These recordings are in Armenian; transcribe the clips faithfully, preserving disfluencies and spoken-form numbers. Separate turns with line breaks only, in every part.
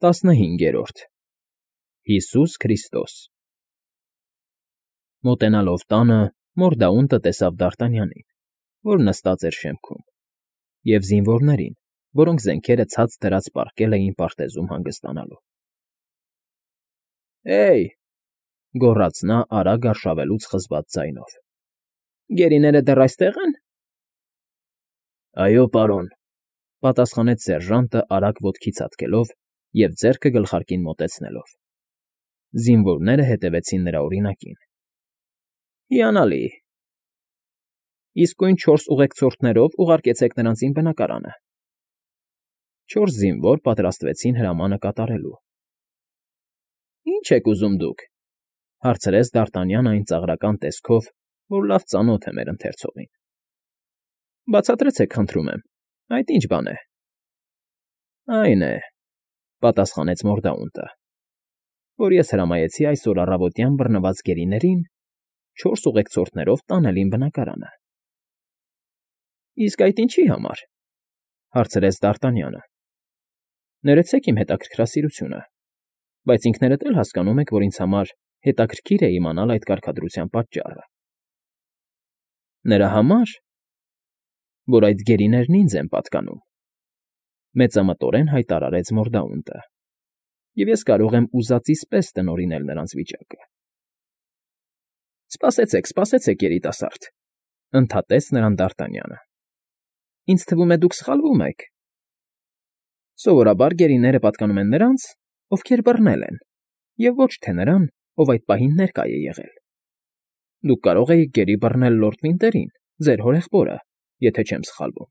ՏԱՍՆՀԻՆԳԵՐՈՐԴ Հիսուս Քրիստոս Մոտենալով տանը Մորդաունտը տեսավ Դարտանյանին, որ նստած էր շեմքում, և զինվորներին, որոնք զենքերը ցած դրած պառկել էին պարտեզում հանգստանալու։ ֊ Հե՜յ,֊ գոռաց նա արագ արշավելուց խզված ձայնով,֊ գերիները դեռ այստե՞ղ են։ ֊ Այո, պարոն,֊ պատասխանեց սերժանտը արագ ոտքի ցատկելով և ձեռքը գլխարկին մոտեցնելով։ Զինվորները հետևեցին նրա օրինակին։ ֊ Հիանալի, իսկույն չորս ուղեկցորդներով ուղարկեցեք նրանց իմ բնակարանը։ Չորս զինվոր պատրաստվեցին հրամանը կատարելու։ ֊ Ի՞նչ եք ուզում դուք,֊ հարցրեց Դարտանյանն այն ծաղրական տեսքով, որ լավ ծանոթ է մեր ընթերցողին։ ֊ Բացատրեցեք, խնդրում եմ, այդ ի՞նչ բան է։ ֊ Այն է,֊ պատասխանեց Մորդաունտը,֊ որ ես հրամայեցի այսօր առավոտյան բռնված գերիներին չորս ուղեկցորդներով տանել իմ բնակարանը։ ֊ Իսկ այդ ինչի համար,֊ հարցրեց Դարտանյանը։ ֊ Ներեցեք իմ հետաքրքրասիրությունը, բայց ինքներդ էլ հասկանում եք, որ ինձ համար հետաքրքիր է իմանալ այդ կարգադրության պատճառը։ ֊ Նրա համար, որ այդ գերիներն ինձ են պատկանում,֊ մեծամտորեն հայտարարեց Մորդաունտը,֊ և ես կարող եմ ուզածիս պես տնօրինել նրանց վիճակը։ ֊ Սպասեցեք, սպասեցեք, երիտասարդ,֊ ընդհատեց նրան Դարտանյանը,֊ ինձ թվում է, դուք սխալվում եք. սովորաբար գերիները պատկանում են նրանց, ովքեր բռնել են, և ոչ թե նրան, ով այդ պահին ներկա է եղել։ Դուք կարող էիք գերի բռնել լորդ Վինտերին, ձեր հորեղբորը, եթե չեմ սխալվում,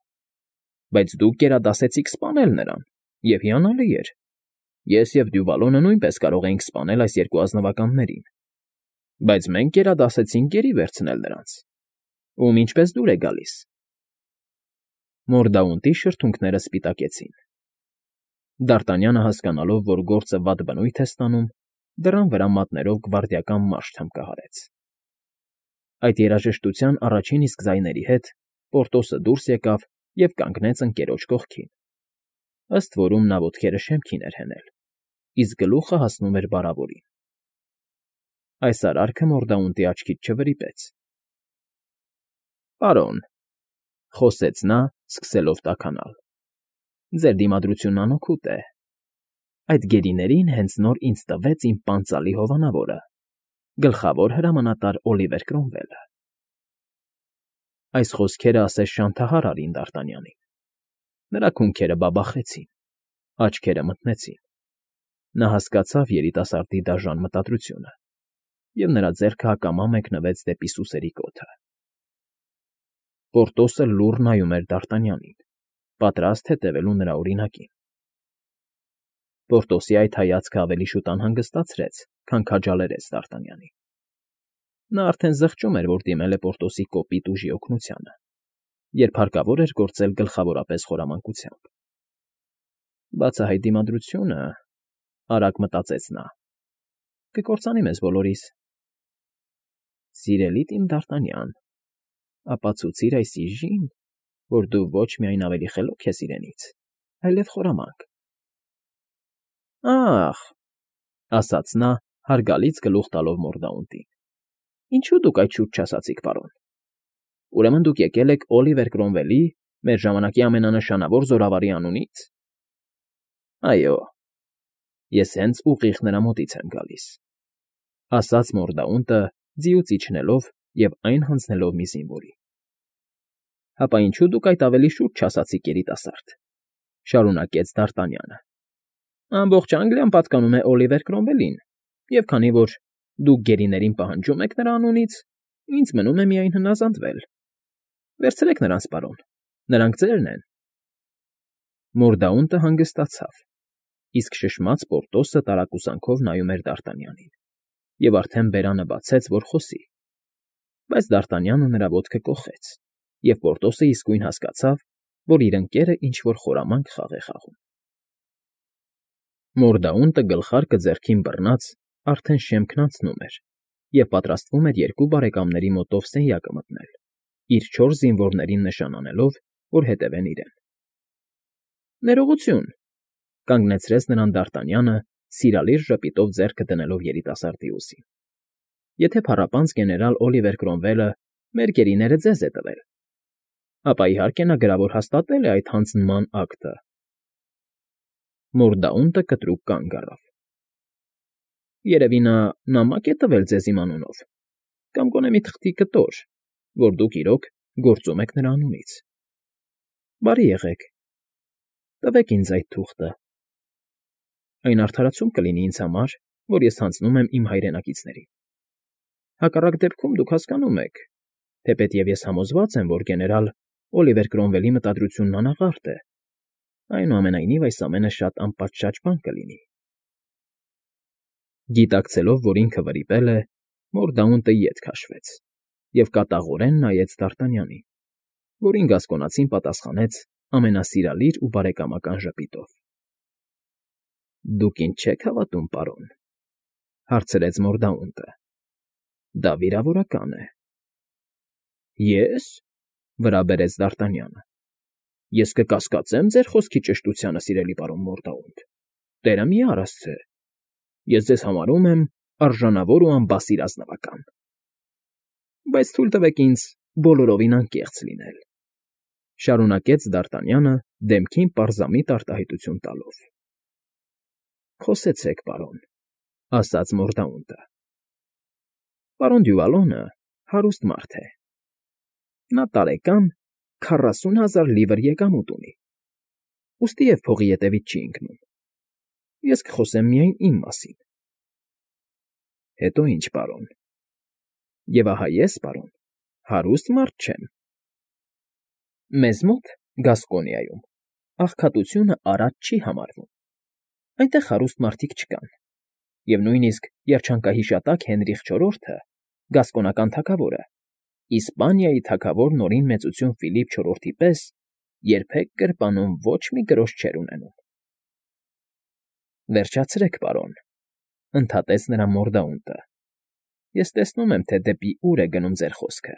բայց դուք գերադասեցիք սպանել նրան, և հիանալի էր, ես և Դյուվալոնը նույնպես կարող էինք սպանել այս երկու ազնվականներին, բայց մենք գերադասեցինք գերի վերցնել նրանց, ում ինչպես դուր է գալիս։ Մորդաունտի շրթունքները սպիտակեցին։ Դարտանյանը, հասկանալով, որ գործը վատ բնույթ է ստանում, դռան վրա մատներով գվարդիական մաշ թմկահարեց։ Այդ երաժշտության առաջին իսկ ձայների հետ Պորտոսը դուրս եկավ և կանգնեց ընկերոջ կողքին, ըստ որում նա ոտքերը շեմքին էր հենել, իսկ գլուխը հասնում էր բառավորին։ Այս արարքը Մորդաունտի աչքից չվրիպեց։ ֊ Պարոն,֊ խոսեց նա, սկսելով տաքանալ,֊ ձեր դիմադրությունն անօգուտ է։ Այդ գերիներին հենց նոր ինձ տվեց իմ պանծալի հովանավորը, գլխավոր հրամանատար Օլիվեր Կրոմվելը։ Այս խոսքերը ասես շանթահար արին Դարտանյանին։ Նրա քունքերը բաբախեցին, աչքերը մթնեցին։ Նա հասկացավ երիտասարդի դաժան մտադրությունը, և նրա ձեռքը հակամա մեկնվեց դեպի սուսերի կոթը։ Պորտոսը լուռ նայում էր Դարտանյանին, պատրաստ հետևելու նրա օրինակին։ Պորտոսի այդ հայացքը ավելի շուտ անհանգստացրեց, քան քաջալերեց Դարտանյանին։ Նա արդեն զղջում էր, որ դիմել է Պորտոսի կոպիտ ուժի օգնությանը, երբ հարկավոր էր գործել գլխավորապես խորամանկությամբ։ Բացահայտ դիմադրությունը, արագ մտածեց նա, կկործանի մեզ բոլորիս։ Սիրելի իմ Դարտանյան, ապացուցիր այս իժին, որ դու ոչ միայն ավելի խելոք ես իրենից, այլև խորամանկ։ ֊ Ա՜խ,֊ ասաց նա, հարգալից գլուխ տալով Մորդաունտին,֊ ինչո՞ւ դուք այդ շուտ չասացիք, պարոն։ Ուրեմն դուք եկել եք Օլիվեր Կրոմվելի, մեր ժամանակի ամենանշանավոր զորավարի անունի՞ց։ ֊ Այո, ես հենց ուղիղ նրա մոտից եմ գալիս,֊ ասաց Մորդաունտը, ձիուց իջնելով և այն հանձնելով մի զինվորի։ ֊ Հապա ինչո՞ւ դուք այդ ավելի շուտ չասացիք, երիտասարդ,֊ շարունակեց Դարտանյանը։ Ամբողջ Անգլիան պատկանում է Օլիվեր Կրոմվելին, և քանի որ դուք գերիներին պահանջում եք նրա անունից, ինձ մնում է միայն հնազանդվել։ Վերցրեք նրանց, պարոն, նրանք ձերն են։ Մորդաունտը հանգստացավ, իսկ շշմած Պորտոսը տարակուսանքով նայում էր Դարտանյանին և արդեն բերանը բացեց, որ խոսի, բայց Դարտանյանը նրա ոտքը կոխեց, և Պորտոսը իսկույն հասկացավ, որ իր ընկերը ինչ֊որ խորամանկ խաղ է խաղում։ Մորդաունտը գլխարկը ձեռքին բռնած արդեն շեմքն անցնում էր և պատրաստվում էր երկու բարեկամների մոտով սենյակը մտնել, իր չորս զինվորներին նշան անելով, որ հետևեն իրեն։ ֊ Ներողություն,֊ Կանգնեցրեց նրան Դարտանյանը, սիրալիր ժպիտով ձեռքը դնելով երիտասարդի ուսին։ Եթե փառապանծ գեներալ Օլիվեր Կրոմվելը մեր գերիները ձեզ է տվել, ապա իհարկե նա գրավոր հաստատել է այդ հանձնման ակտը։ Մորդաունտը կտրուկ կանգ առավ։ Երևի նա նամակ է տվել ձեզ իմ անունով, կամ գոնե մի թղթի կտոր, որ դուք իրոք գործում եք նրա անունից։ Բարի եղեք, տվեք ինձ այդ թուղթը։ Այն արդարացում կլինի ինձ համար, որ ես հանձնում եմ իմ հայրենակիցներին։ Հակառակ դեպքում դուք հասկանում եք, թեպետև ես համոզված եմ, որ գեներալ Օլիվեր Կրոմվելի մտադրությունն անաղարտ է, այնուամենայնիվ այս ամենը շատ անպատշաճ բան կլինի։ Գիտակցելով, որ ինքը վրիպել է, Մորդաունտը ետ քաշվեց և կատաղորեն նայեց Դարտանյանին, որին գասկոնացին պատասխանեց ամենասիրալիր ու բարեկամական ժպիտով։ ֊ Դուք ինձ չեք հավատում, պարոն,֊ հարցրեց Մորդաունտը։ ֊ Դա վիրավորական է։ ֊ Ե՞ս,֊ վրա բերեց Դարտանյանը։ ֊ Ես կկասկածեմ ձեր խոսքի ճշտությանը, սիրելի պարոն Մորդաունտ, տերը մի արասցե, ես ձեզ համարում եմ արժանավոր ու անբասիր ազնվական։ Բայց թույլ տվեք ինձ բոլորովին անկեղծ լինել,֊ շարունակեց Դարտանյանը դեմքին պարզամիտ արտահայտություն տալով։ ֊ Խոսեցեք, պարոն,֊ ասաց Մորդաունտը։ Պարոն Դյուվալոնը հարուստ մարդ է։ Նա տարեկան քառասուն հազար լիվր եկամուտ ունի, ուստի և փողի ետևից չի ընկնում։ Ես կխոսեմ միայն իմ մասին։ ֊ Հետո ի՞նչ, պարոն։ ֊ Եվ ահա ես, պարոն, հարուստ մարդ չեմ։ Մեզ մոտ, Գասկոնիայում, աղքատությունը արատ չի համարվում։ Այնտեղ հարուստ մարդիկ չկան, և նույնիսկ երջանկահիշատակ Հենրիխ չորրորդը, գասկոնական թագավորը, Իսպանիայի թագավոր Նորին Մեծություն Ֆիլիպ չորրորդի պես երբեք գրպանում ոչ մի գրոշ չէր ունենում։ ֊ Վերջացրեք, պարոն,֊ ընդհատեց նրա Մորդաունտը։ Ես տեսնում եմ, թե դեպի ուր է գնում ձեր խոսքը,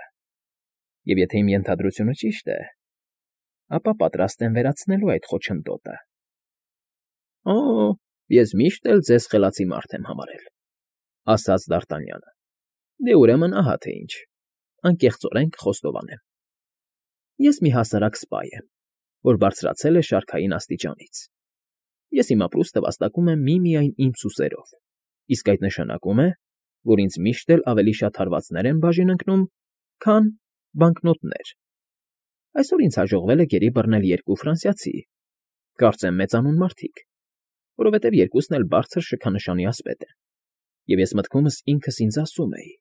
և եթե իմ ենթադրությունը ճիշտ է, ապա պատրաստ եմ վերացնելու այդ խոչընդոտը։ ֊ Օ, ես միշտ էլ ձեզ խելացի մարդ եմ համարել,֊ ասաց Դարտանյանը։ Դե ուրեմն ահա թե ինչ, անկեղծորեն կխոստովանեմ։ Ես մի հասարակ սպա եմ, որ բարձրացել է շարքային աստիճանից։ Ես իմ ապրուստը վաստակում եմ միմիայն իմ սուսերով, իսկ այդ նշանակում է, որ ինձ միշտ էլ ավելի շատ հարվածներ են բաժին ընկնում, քան բանկնոտներ։ Այսօր ինձ հաջողվել է գերի բռնել երկու ֆրանսիացի, կարծեմ մեծանուն մարդիկ, որովհետև երկուսն էլ բարձր շքանշանի ասպետ են, և ես մտքումս ինքս ինձ ասում էի.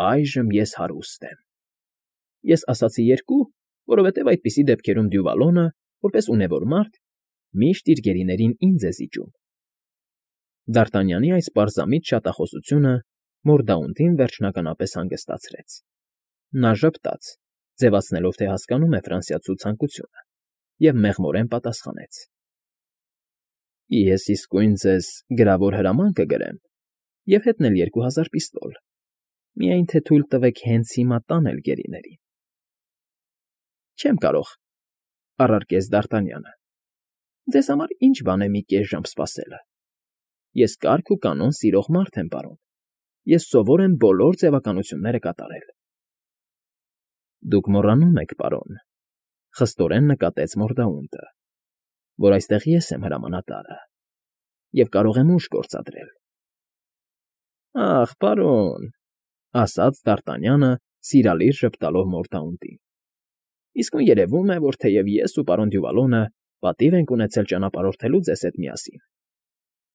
այժմ ես հարուստ եմ։ Ես ասացի երկու, որովհետև այդպիսի դեպքերում Դյուվալոնը, որպես ունևոր մարդ, միշտ իր գերիներին ինձ է զիջում։ Դարտանյանի այս պարզամիտ շատախոսությունը Մորդաունտին վերջնականապես հանգստացրեց։ Նա ժպտաց, ձևացնելով, թե հասկանում է ֆրանսիացու ցանկությունը, և մեղմորեն պատասխանեց. ֊ Ես իսկույն ձեզ գրավոր հրաման կգրեմ և հետնել երկու հազար պիստոլ, միայն թե թույլ տվեք հենց հիմա տանել գերիներին։ ֊ Չեմ կարող,֊ առարկեց Դարտանյանը։ Ձեզ համար ի՞նչ բան է մի կես ժամ սպասելը։ Ես կարգ ու կանոն սիրող մարդ եմ, պարոն, ես սովոր եմ բոլոր ձևականությունները կատարել։ ֊ Դուք մոռանում եք, պարոն,֊ խստորեն նկատեց Մորդաունտը, որ այստեղ ես եմ հրամանատարը և կարող եմ ուժ գործադրել։ ֊ Ախ, պարոն,֊ ասաց Դարտանյանը, սիրալիր ժպտալով Մորդաունտին,֊ իսկույն երևում է, որ թեև ես ու պարոն Դյուվալոնը պատիվ ենք ունեցել ճանապարհորդելու ձեզ հետ միասին,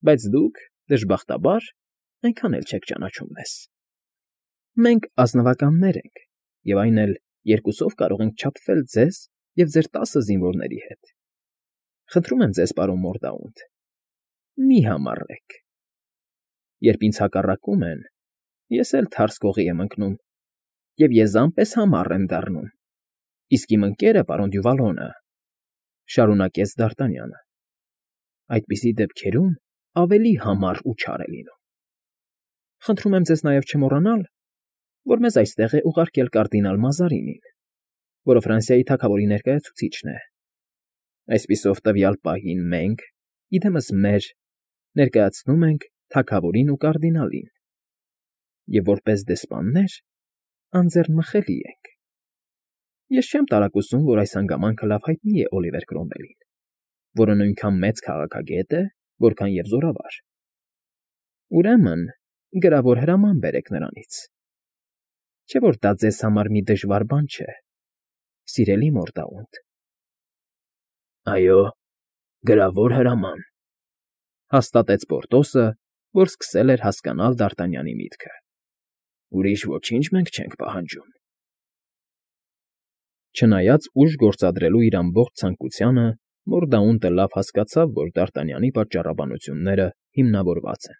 բայց դուք, դժբախտաբար, այնքան էլ չեք ճանաչում մեզ։ Մենք ազնվականներ ենք, և այն էլ երկուսով կարող ենք չափվել ձեզ և ձեր տասը զինվորների հետ։ Խնդրում եմ ձեզ, պարոն Մորդաունտ, մի համառեք։ Երբ ինձ հակառակում են, ես էլ թարս կողի եմ ընկնում և եզան պես համառ եմ դառնում, իսկ իմ ընկերը, պարոն Դյուվալոնը, շարունակեց Դարտանյանը, այդպիսի դեպքերում ավելի համառ ու չար է լինում։ Խնդրում եմ ձեզ նաև չմոռանալ, որ մեզ այստեղ է ուղարկել կարդինալ Մազարինին, որը Ֆրանսիայի թագավորի ներկայացուցիչն է։ Այսպիսով, տվյալ պահին մենք, իդեմս մեր, ներկայացնում ենք թագավորին ու կարդինալին, և որպես դեսպաններ անձեռնմխելի ենք։ Ես չեմ տարակուսում, որ այս հանգամանքը լավ հայտնի է Օլիվեր Կրոմվելին, որը նույնքան մեծ քաղաքագետ է, որքան և զորավար։ Ուրեմն գրավոր հրաման բերեք նրանից, չէ՞ որ դա ձեզ համար մի դժվար բան չէ, սիրելի Մորդաունտ։ ֊ Այո, գրավոր հրաման,֊ հաստատեց Պորտոսը, որ սկսել էր հասկանալ Դ'Արտանյանի միտքը։֊ Ուրիշ ոչինչ մենք չենք պահանջում։ Չնայած ուժ գործադրելու իր ամբողջ ցանկությանը, Մորդաունտը լավ հասկացավ, որ Դ'Արտանյանի պատճառաբանությունները հիմնավորված են։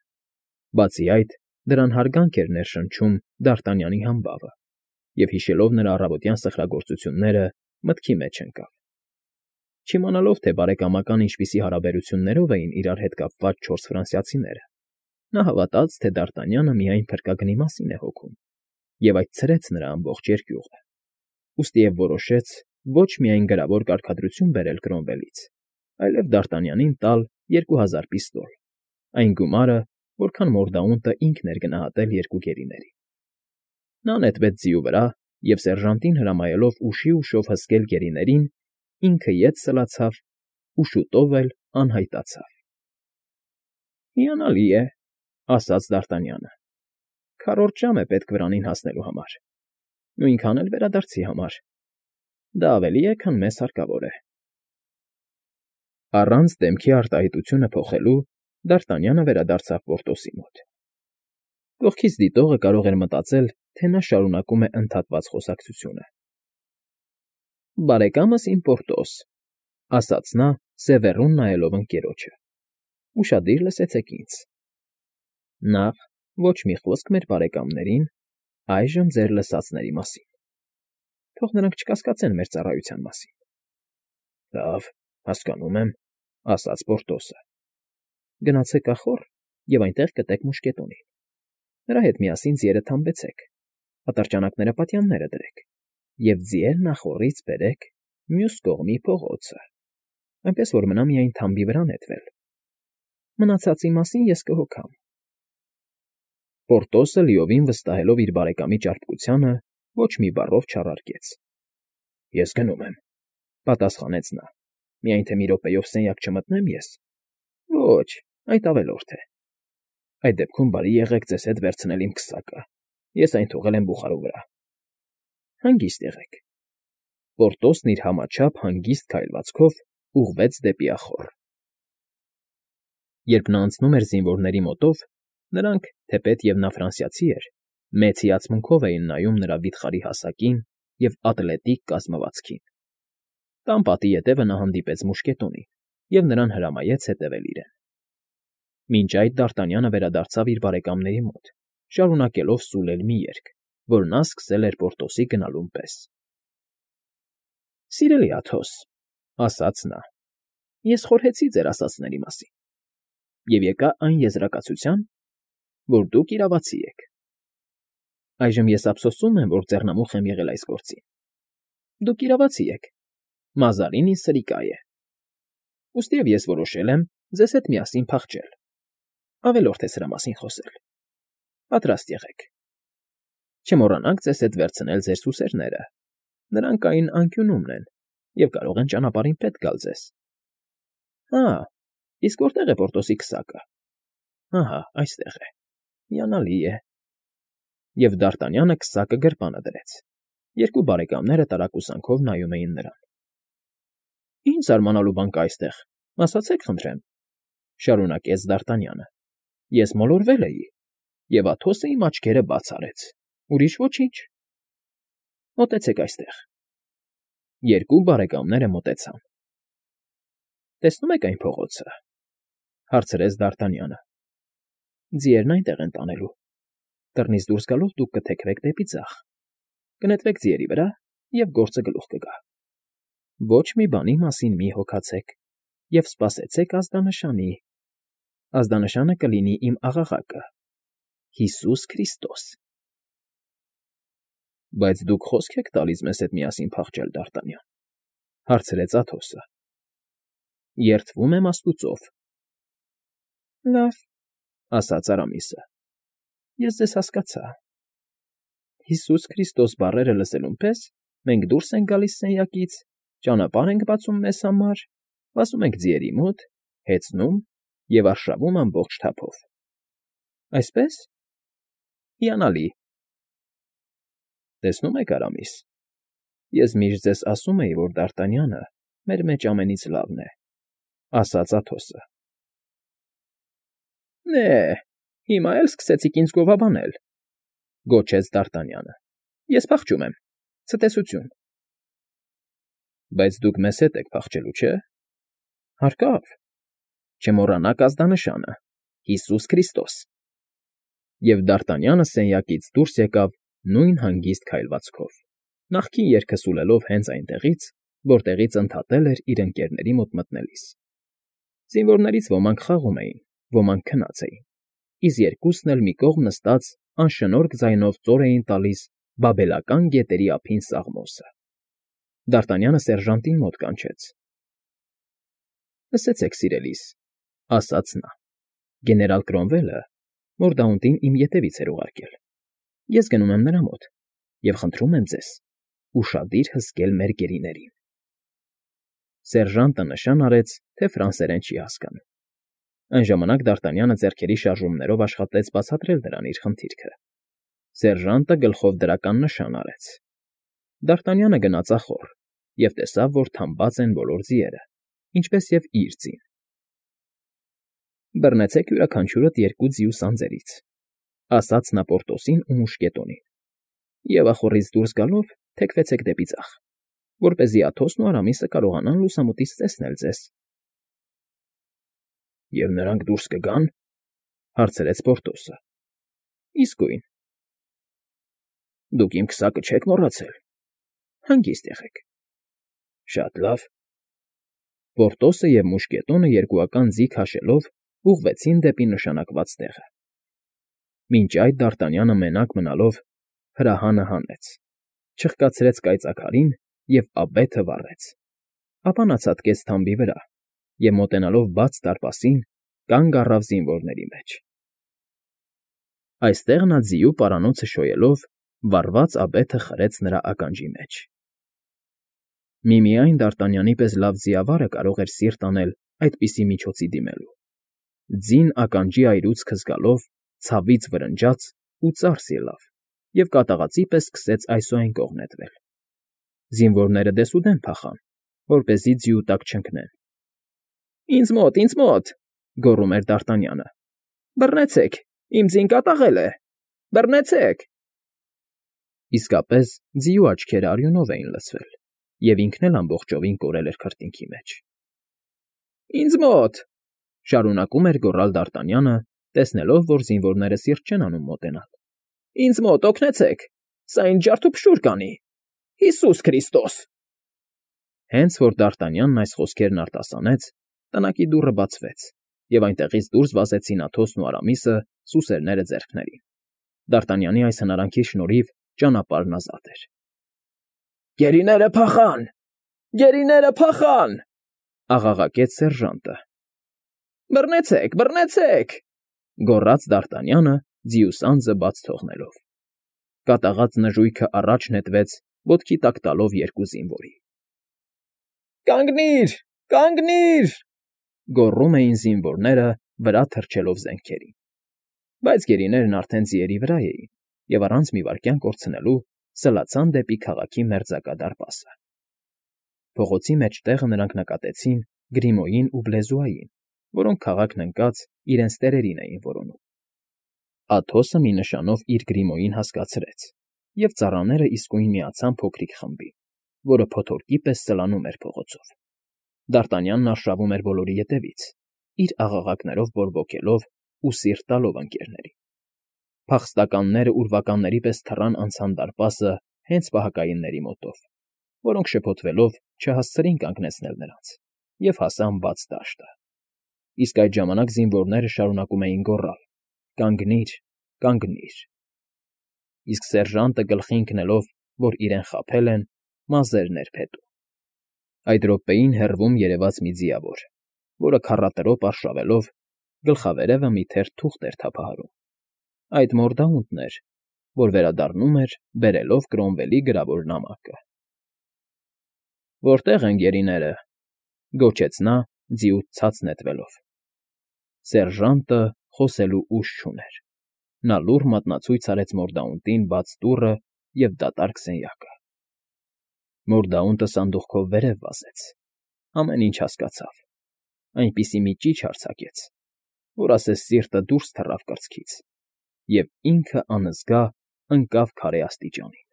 Բացի այդ, դրան հարգանք էր ներշնչում Դ'Արտանյանի համբավը, և հիշելով նրա առավոտյան սխրագործությունները, մտքի մեջ ընկավ։ Չիմանալով, թե բարեկամական ինչպիսի հարաբերություններով էին իրար հետ կապված չորս ֆրանսիացիները, նա հավատաց, թե Դ'Արտանյանը միայն փրկագնի մասին է հոգում, և այդ ցրեց նրա ամբողջ երկյուղը, ուստիև որոշեց ոչ միայն գրավոր կարգադրություն բերել Կրոմվելից, այլև Դ'Արտանյանին տալ երկու հազար պիստոլ, այն գումարը, որքան Մորդաունտը ինքն էր գնահատել երկու գերիներին։ Նա նետվեց ձիու վրա և, սերժանտին հրամայելով ուշի ուշով հսկել գերիներին, ինքը ետ սլացավ ու շուտով էլ անհայտացավ։ ֊ Հիանալի է,֊ ասաց Դ'Արտանյանը,֊ քառորդ ժամ է պետք վրանին հասնելու համար, նույնքան էլ վերադարձի համար. դա ավելի է, քան մեզ հարկավոր է։ Առանց դեմքի արտահայտությունը փոխելու Դ'Արտանյանը վերադարձավ Պորտոսի մոտ։ Կողքից դիտողը կարող էր մտածել, թե նա շարունակում է ընդհատված խոսակցությունը։ «Բարեկամս իմ Պորտոս,֊ ասաց նա, սևեռուն նայելով ընկերոջը,֊ ուշադիր լսեցեք ինձ. նախ, ոչ մի խոսք մեր բարեկամներին այժմ ձեր լսածների մասին. թող նրանք չկասկածեն մեր ծառայության մասին։ ֊ Լավ, հասկանում եմ,֊ ասաց Պորտոսը,֊ գնացեք ախոռ և այնտեղ կտեք մուշկետոնին. նրա հետ միասին ձիերը թամբեցեք, ատրճանակները պատյանները դրեք և ձիերն ախոռից բերեք մյուս կողմի փողոցը, այնպես որ մնա միայն թամբի վրա նետվել. մնացածի մասին ես կհոգամ։ Պորտոսը, լիովին վստահելով իր բարեկամի ճարպկությանը, ոչ մի բառով չառարկեց։ ֊ Ես գնում եմ,֊ պատասխանեց նա,֊ միայն թե մի րոպեով սենյակ չմտնեմ ես։ ֊ Ոչ, այդ ավելորդ է։ Այդ դեպքում բարի եղեք ձեզ հետ վերցնել իմ քսակը, ես այն թողել եմ բուխարու վրա։ Հանգիստ եղեք։ Պորտոսն իր համաչափ հանգիստ քայլվածքով ուղղվեց դեպի ախոռ։ Երբ նա անցնում էր զինվորների մոտով, նրանք, թեպետ և նա ֆրանսիացի էր, մեծ հիացմունքով էին նայում նրա վիթխարի հասակին և ատլետիկ կազմվածքին։ Տան պատի ետևը նա հանդիպեց մուշկետոնին և նրան հրամայեց հետևել իրեն։ Մինչ այդ Դ'Արտանյանը վերադարձավ իր բարեկամների մոտ, շարունակելով սուլել մի երգ, որ նա սկսել էր Պորտոսի գնալուն պես։ ֊ Սիրելի Աթոս,֊ ասաց նա,֊ ես խորհեցի ձեր ասածների մասին և եկա այն եզրակացության, որ դուք իրավացի եք։ Այժմ ես ափսոսում եմ, որ ձեռնամուխ եմ եղել այս գործին։ Դուք իրավացի եք, Մազարին ինձ սրիկա է։ Ուստիև ես որոշել եմ ձեզ հետ միասին փախչել։ Ավելորդ է սրա մասին խոսել։ Պատրաստ եղեք։ Չմոռանաք ձեզ հետ վերցնել ձեր սուսերները, նրանք այն անկյունում են և կարող են ճանապարհին պետք գալ ձեզ։ Հա, իսկ որտե՞ղ է Պորտոսի քսակը։ Ահա այստեղ է, հիանալի է։ Եվ Դ'Արտանյանը քսակը գրպանը դրեց։ Երկու բարեկամները տարակուսանքով նայում էին նրան։ ֊ Ինչ զարմանալու բան կա այստեղ, ասացեք խնդրեմ,֊ շարունակեց Դ'Արտանյանը,֊ ես մոլորվել էի, և Աթոսը իմ աչքերը բաց արեց, ուրիշ ոչինչ։ Մոտեցեք այստեղ։ Երկու բարեկամները մոտեցան։ ֊ Տեսնում եք այն փողոցը,֊ հարցրեց Դ'Արտանյանը։ Ձիերն այնտեղ են տանելու։ Դռնից դուրս գալով դուք կթեքվեք դեպի ձախ, կնետվեք ձիերի վրա և գործը գլուխ կգա։ Ոչ մի բանի մասին մի հոգացեք և սպասեցեք ազդանշանի։ Ազդանշանը կլինի իմ աղաղակը՝ Հիսուս Քրիստոս։ ֊ Բայց դուք խոսք եք տալիս մեզ հետ միասին փախչել, Դ'Արտանյան,֊ հարցրեց Աթոսը։ ֊ Երդվում եմ աստուծով, Լավ, ասաց Արամիսը։ Ես ձեզ հասկացա։ Հիսուս Քրիստոս բառերը լսելուն պես մենք դուրս ենք գալիս սենյակից, ճանապարհ ենք բացում մեզ համար, վազում ենք ձիերի մոտ, հեծնում և արշավում ամբողջ թափով։ Այսպե՞ս։ Հիանալի։ Տեսնում եք, Արամիս, ես միշտ ձեզ ասում էի, որ Դարտանյանը մեր մեջ ամենից լավն է, ասաց Աթոսը։ Նե, հիմա էլ սկսեցիք ինձ գովաբանել, գոչեց Դարտանյանը։ Ես փախչում եմ, ցտեսություն։ Բայց դուք մեզ հետ եք փախչելու, չէ՞։ Հարկավ, չմոռանաք ազդանշանը՝ Հիսուս Քրիստոս։ Եվ Դարտանյանը սենյակից դուրս եկավ նույն հանգիստ քայլվածքով, նախկին երգը սուլելով հենց այնտեղից, որտեղից ընդհատել էր իր ընկերների մոտ մտնելիս։ Զինվորներից ոմանք խաղում էին, ոմանք քնած էին, իսկ երկուսն էլ մի կողմ նստած անշնորհք ձայնով ծոր էին տալիս բաբելական գետերի ափին սաղմոսը։ Դարտանյանը սերժանտին մոտ կանչեց։ Լսեցեք, սիրելիս, ասաց նա. գեներալ Կրոնվելը Մորդաունտին իմ ետևից էր ուղարկել։ Ես գնում եմ նրա մոտ և խնդրում եմ ձեզ ուշադիր հսկել մեր գերիներին։ Սերժանտը նշան արեց, թե ֆրանսերեն չի հասկանում։ Այն ժամանակ Դարտանյանը ձեռքերի շարժումներով աշխատեց բացատրել նրան իր խնդիրքը։ Սերժանտը գլխով դրական նշան արեց։ Դարտանյանը գնաց ախոռ և տեսավ, որ թամբած են բոլոր ձիերը, ինչպես և իր ձին։ Բռնեցեք յուրաքանչյուրդ երկու ձիու սանձերից, ասաց նա Պորտոսին ու Մուշկետոնին, և ախոռից դուրս գալով թեքվեցեք դեպի ձախ, որպեսզի Աթոսն ու Արամիսը կարողանան լուսամուտից տեսնել ձեզ։ ֊ Եվ նրանք դուրս կգա՞ն,֊ հարցրեց Պորտոսը։ ֊ Իսկույն։ ֊ Դուք իմ քսակը չեք մոռացել։ Հանգիստ եղեք։ ֊ Շատ լավ։ Պորտոսը և Մուշկետոնը երկուական ձի քաշելով ուղղվեցին դեպի նշանակված տեղը։ Մինչ այդ Դարտանյանը մենակ մնալով հրահանը հանեց, չխկացրեց կայծաքարին և աբեթը վառեց։ Ապա նա ցատկեց թամբի վրա և, մոտենալով բաց դարպասին, կանգ առավ զինվորների մեջ։ Այստեղ նա ձիու պարանոցը շոյելով վառված աբեթը խրեց նրա ականջի մեջ։ Միմիայն Դարտանյանի պես լավ ձիավարը կարող էր սիրտ անել այդպիսի միջոցի դիմելու։ Ձին ականջի այրուցքը զգալով ցավից վրնջաց ու ծարս ելավ և կատաղածի պես սկսեց այսուայն կողմ նետվել։ Զինվորները դեսուդեն փախան, որպեսզի ձիու տակ չընկնեն։ ֊ Ինձ մոտ, ինձ մոտ,֊ գոռում էր Դարտանյանը։ ֊ Բռնեցեք, իմ ձին կատաղել է, բռնեցեք… Իսկապես ձիու աչքերը արյունով էին լցվել, և ինքն էլ ամբողջովին կորել էր քրտինքի մեջ։ ֊ Ինձ մոտ,֊ շարունակում էր գոռալ Դարտանյանը, տեսնելով, որ զինվորները սիրտ չեն անում մոտենալ։ ֊ Ինձ մոտ, օգնեցեք, սա ինձ ջարդուփշուր կանի… Հիսուս Քրիստոս… Հենց որ Դարտանյանն այս խոսքերն արտասանեց, տնակի դուռը բացվեց, և այնտեղից դուրս վազեցին Աթոսն ու Արամիսը սուսերները ձեռքներին։ Դարտանյանի այս հնարանքի շնորհիվ ճանապարհն ազատ էր։ ֊ Գերիները փախան… Գերիները փախան…֊ աղաղակեց սերժանտը։ ֊ Բռնեցեք, բռնեցեք,֊ գոռաց Դարտանյանը, ձիու սանձը բաց թողնելով։ Կատաղած նժույգը առաջ նետվեց, ոտքի տակ տալով երկու զինվորի։ ֊ Կանգնի՛ր, կանգնի՛ր,֊ գոռում էին զինվորները, վրա թռչելով զենքերին։ Բայց գերիներն արդեն ձիերի վրա էին և առանց մի վայրկյան կորցնելու սլացան դեպի քաղաքի մերձակա դարպասը։ Փողոցի մեջտեղը նրանք նկատեցին Գրիմոյին ու Բլեզուային, որոնք քաղաքն ընկած իրենց տերերին էին որոնում։ Աթոսը մի նշանով իր Գրիմոյին հասկացրեց, և ծառաները իսկույն միացան փոքրիկ խմբին, որը փոթորկի պես սլանում էր փողոցով։ Դարտանյանն արշավում էր բոլորի ետևից, իր աղաղակներով բորբոքելով ու սիրտ տալով ընկերներին։ Փախստականները ուրվականների պես թռան անցան դարպասը հենց պահակայինների մոտով, որոնք շփոթվելով չհասցրին կանգնեցնել նրանց և հասան բաց դաշտը։ Իսկ այդ ժամանակ զինվորները շարունակում էին գոռալ. «Կանգնի՛ր, կանգնի՛ր…» Իսկ սերժանտը գլխի ընկնելով, որ իրեն խաբել են, մազերն էր փետում։ Այդ րոպեին հեռվում երևաց մի ձիավոր, որը քառատրոպ արշավելով Գլխավերևը մի թերթ թուղթ էր թափահարում։ Այդ մորդաունտն էր, որ վերադառնում էր, բերելով Կրոմվելի գրավոր նամակը։ «Որտե՞ղ են գերիները», ֊ գոչեց նա՝ ձիուց ցած նետվելով։ Սերժանտը խոսելու ուժ չուներ։ Նա լուռ մատնացույց արեց մորդաունտին բաց դուռը և դատարկ սենյակը։ Մորդաունտը սանդուղքով վերև վազեց, ամեն ինչ հասկացավ, այնպիսի մի ճիչ արձակեց, որ ասես սիրտը դուրս թռավ կրծքից, և ինքը անզգա ընկավ քարե աստիճանի։